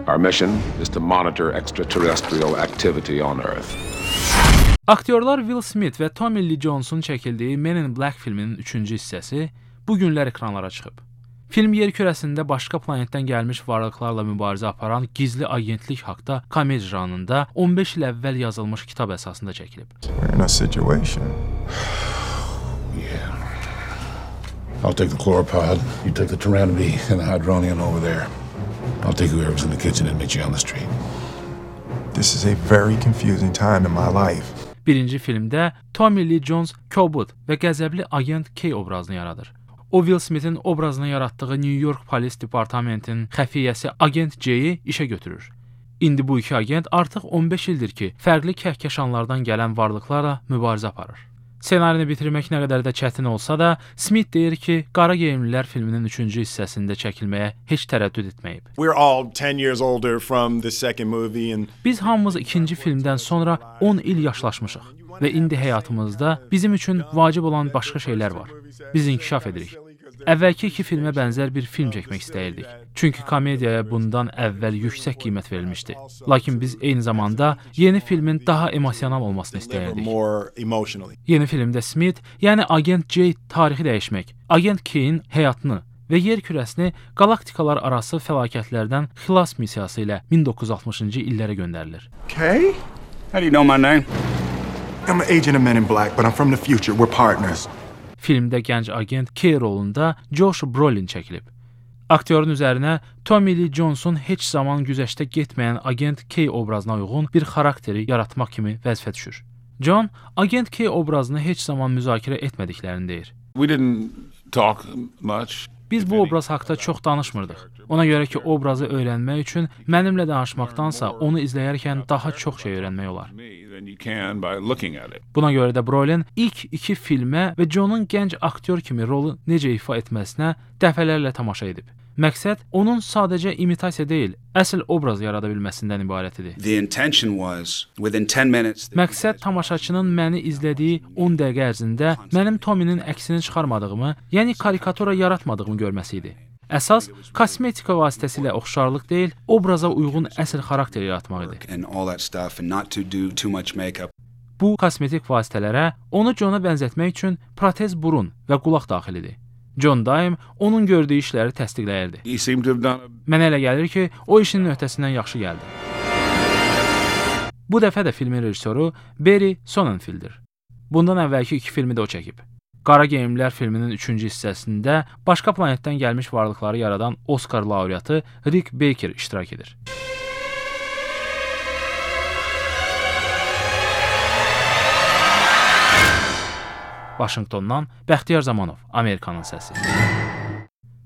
Our mission is to monitor extraterrestrial activity on Earth. Aktyorlar Will Smith və Tommy Lee Jones'un çəkildiyi Men in Black filminin 3-cü hissəsi bu günlər ekranlara çıxıb. Film yer kürəsində başqa planetdən gəlmiş varlıqlarla mübarizə aparan gizli agentlik haqqında komediya janrında 15 il əvvəl yazılmış kitab əsasında çəkilib. We're in a situation. Yeah. I'll take the chloropod, you take the Tyrannomy and the Hydronian over there. I'll take whoever's in the kitchen and meet you on the street. This is a very confusing time in my life. Birinci filmdə Tommy Lee Jones kobud və qəzəbli agent K obrazını yaradır. O, Will Smith'in obrazını yaratdığı New York Polis Departamentinin xəfiyyəsi agent J-yi işə götürür. İndi bu iki agent artıq 15 ildir ki, fərqli kəhkəşanlardan gələn varlıqlarla mübarizə aparır. Ssenarini bitirmək nə qədər də çətin olsa da, Smith deyir ki, Qara Geyimlilər filminin 3-cü hissəsində çəkilməyə heç tərəddüd etməyib. We're all 10 years older from the second movie and Biz hamımız ikinci filmdən sonra 10 il yaşlaşmışıq və indi həyatımızda bizim üçün vacib olan başqa şeylər var. Biz inkişaf edirik. Əvvəlki iki filmə bənzər bir film çəkmək istəyirdik. Çünki komediyaya bundan əvvəl yüksək qiymət verilmişdi. Lakin biz eyni zamanda yeni filmin daha emosional olmasını istəyirdik. Yeni filmdə Smith, yəni agent J tarixi dəyişmək, agent K-in həyatını və yer kürəsini qalaktikalar arası fəlakətlərdən xilas missiyası ilə 1960-cı illərə göndərilir. Kay? How do you know my name? I'm an agent of Men in Black, but I'm from the future. We're partners. Filmdə gənc agent K rolunda Josh Brolin çəkilib. Aktyorun üzərinə Tommy Lee Jones'un heç zaman güzəştə getməyən agent K obrazına uyğun bir xarakteri yaratmaq kimi vəzifə düşür. John, agent K obrazını heç zaman müzakirə etmədiklərini deyir. We didn't talk much. Biz bu obraz haqqında çox danışmırdıq. Ona görə ki, obrazı öyrənmək üçün mənimlə danışmaqdansa onu izləyərkən daha çox şey öyrənmək olar. Buna görə də Brolin ilk iki filmə və John'un gənc aktyor kimi rolu necə ifa etməsinə dəfələrlə tamaşa edib. Məqsəd onun sadəcə imitasiya deyil, əsl obraz yarada bilməsindən ibarət idi. Məqsəd tamaşaçının məni izlədiyi 10 dəqiqə ərzində mənim Tommy'nin əksini çıxarmadığımı, yəni karikatura yaratmadığımı görməsi idi. Əsas kosmetika vasitəsilə oxşarlıq deyil, obraza uyğun əsl xarakter yaratmaq idi. Bu kosmetik vasitələrə onu John-a bənzətmək üçün protez burun və qulaq daxilidir. John daim onun gördüyü işləri təsdiqləyirdi. Mənə elə gəlir ki, o işinin öhdəsindən yaxşı gəldi. Bu dəfə də filmin rejissoru Barry Sonnenfeld'dir. Bundan əvvəlki iki filmi də o çəkib. Qara Geyimlilər filminin 3-cü hissəsində başqa planetdən gəlmiş varlıqları yaradan Oscar laureatı Rick Baker iştirak edir. Vaşinqtondan Bəxtiyar Zamanov, Amerikanın səsi.